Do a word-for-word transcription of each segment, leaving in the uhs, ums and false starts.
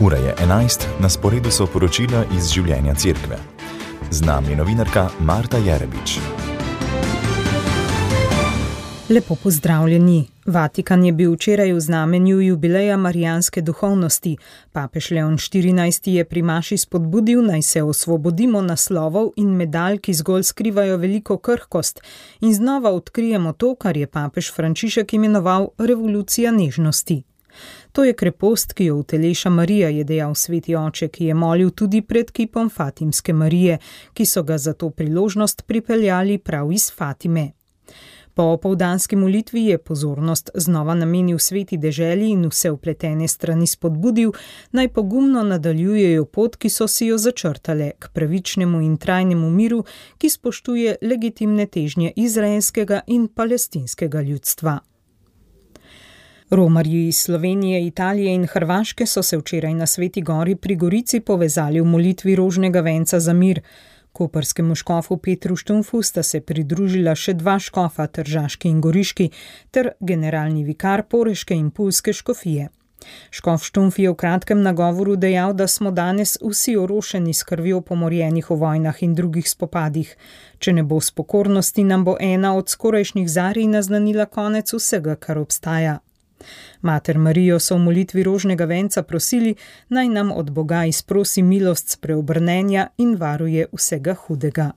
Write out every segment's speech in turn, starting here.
Ura je enajst, na sporedu so poročila iz življenja cerkve. Z nami je novinarka Marta Jerebič. Lepo pozdravljeni. Vatikan je bil včeraj v znamenju jubileja marijanske duhovnosti. Papež Leon štirinajsti je pri maši spodbudil, naj se osvobodimo naslovov in medalj, ki zgolj skrivajo veliko krhkost, in znova odkrijemo to, kar je papež Frančišek imenoval revolucija nežnosti. To je krepost, ki jo uteleša Marija, je dejal sveti oče, ki je molil tudi pred kipom Fatimske Marije, ki so ga za to priložnost pripeljali prav iz Fatime. Po opoldanski molitvi je pozornost znova namenil sveti deželi in vse vpletene strani spodbudil, naj pogumno nadaljujejo pot, ki so si jo začrtale, k pravičnemu in trajnemu miru, ki spoštuje legitimne težnje izraelskega in palestinskega ljudstva. Romarji iz Slovenije, Italije in Hrvaške so se včeraj na Sveti gori pri Gorici povezali v molitvi rožnega venca za mir. Koprskemu škofu Petru Štumfu sta se pridružila še dva škofa, tržaški in goriški, ter generalni vikar poreške in pulske škofije. Škof Štumf je v kratkem nagovoru dejal, da smo danes vsi orošeni s krvjo pomorjenih v vojnah in drugih spopadih. Če ne bo spokornosti, nam bo ena od skorajšnjih zarij naznanila konec vsega, kar obstaja. Mater Marijo so v molitvi rožnega venca prosili, naj nam od Boga izprosi milost spreobrnenja in varuje vsega hudega.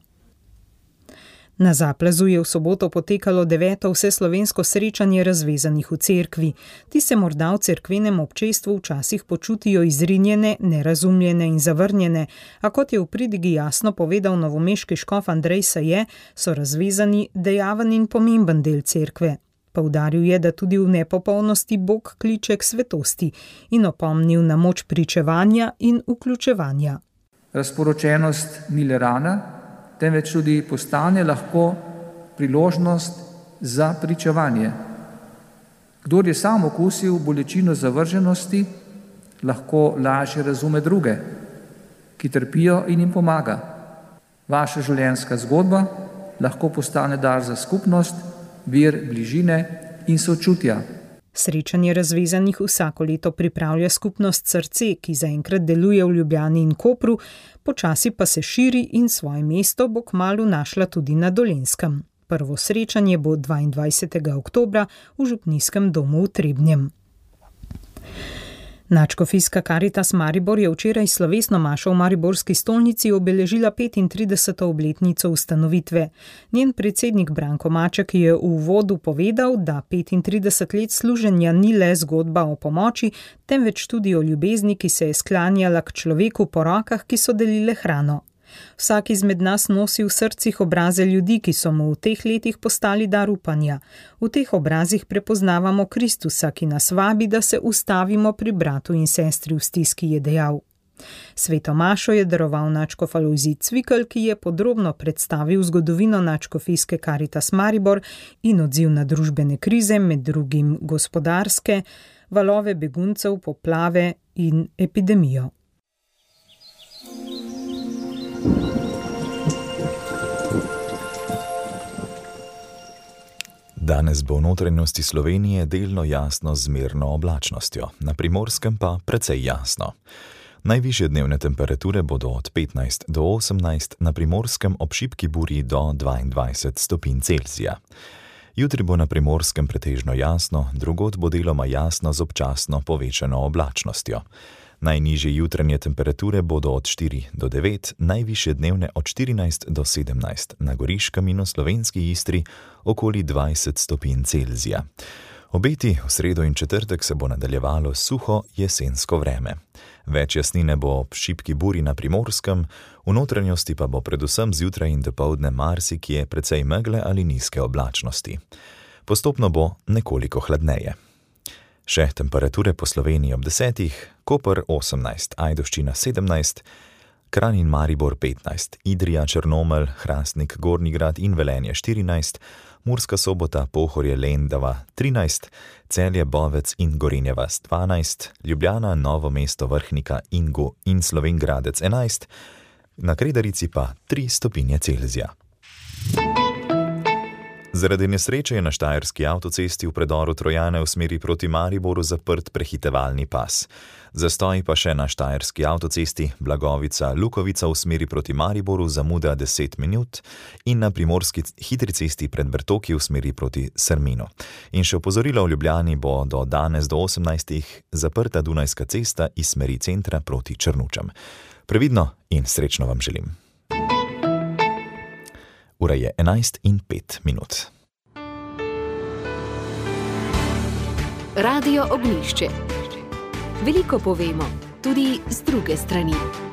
Na Zaplazu je v soboto potekalo deveto vseslovensko srečanje razvezanih v cerkvi. Ti se morda v cerkvenem občestvu včasih počutijo izrinjene, nerazumljene in zavrnjene, a kot je v pridigi jasno povedal novomeški škof Andrej Saje, so razvezani dejaven in pomemben del cerkve. Poudaril je, da tudi v nepopolnosti Bog kliče k svetosti in opomnil na moč pričevanja in vključevanja. Razporočenost ni le rana, temveč tudi postane lahko priložnost za pričevanje. Kdor je sam okusil bolečino zavrženosti, lahko lažje razume druge, ki trpijo in jim pomaga. Vaša življenjska zgodba lahko postane dar za skupnost, vir bližine in sočutja. Srečanje razvezanih vsako leto pripravlja skupnost Srce, ki zaenkrat deluje v Ljubljani in Kopru, počasi pa se širi in svoje mesto bo kmalu našla tudi na Dolenjskem. Prvo srečanje bo dvaindvajsetega oktobra v župnijskem domu v Trebnjem. Nadškofijska Karitas Maribor je včeraj slovesno mašo v mariborski stolnici obeležila petintrideseto obletnico ustanovitve. Njen predsednik Branko Maček je v uvodu povedal, da petintrideset let služenja ni le zgodba o pomoči, temveč tudi o ljubezni, ki se je sklanjala k človeku po rokah, ki so delile hrano. Vsak izmed nas nosi v srcih obraze ljudi, ki so mu v teh letih postali dar upanja. V teh obrazih prepoznavamo Kristusa, ki nas vabi, da se ustavimo pri bratu in sestri v stiski, je dejal. Sveto mašo je daroval nadškof Alojzij Cvikl, ki je podrobno predstavil zgodovino Nadškofijske Karitas Maribor in odziv na družbene krize, med drugim gospodarske, valove beguncev, poplave in epidemijo. Danes bo v notranjosti Slovenije delno jasno z zmerno oblačnostjo, na Primorskem pa precej jasno. Najvišje dnevne temperature bodo od petnajst do osemnajst, na Primorskem ob šibki burji do dvaindvajset stopinj Celzija. Jutri bo na Primorskem pretežno jasno, drugod bo deloma jasno z občasno povečano oblačnostjo. Najnižje jutranje temperature bodo od štiri do devet, najvišje dnevne od štirinajst do sedemnajst, na Goriškem in v slovenski Istri okoli dvajset stopinj Celzija. Obeti v sredo in četrtek se bo nadaljevalo suho jesensko vreme. Več jasnine bo ob šibki burji na Primorskem, v notranjosti pa bo predvsem zjutraj in dopoldne marsikje precej megle ali nizke oblačnosti. Postopno bo nekoliko hladneje. Še temperature po Sloveniji ob desetih, Koper osemnajst, Ajdovščina sedemnajst, Kranj in Maribor petnajst, Idrija, Črnomelj, Hrastnik, Gornji Grad in Velenje štirinajst, Murska Sobota, Pohorje, Lendava trinajst, Celje, Bovec in Gorenja vas dvanajst, Ljubljana, Novo mesto, Vrhnika, Ingu in Slovenj Gradec enajst, na Kredarici pa tri stopinje Celzija. Zaradi nesreče je na štajerski avtocesti v predoru Trojane v smeri proti Mariboru zaprt prehitevalni pas. Zastoj pa še na štajerski avtocesti Blagovica-Lukovica v smeri proti Mariboru zamuda deset minut in na primorski hitri cesti pred Bertoki v smeri proti Srminu. In še opozorilo v Ljubljani bo do danes do osemnajstih zaprta Dunajska cesta iz smeri centra proti Črnučam. Previdno in srečno vam želim. Ura je enajst in pet minut. Radio Ognjišče. Veliko povemo, tudi z druge strani.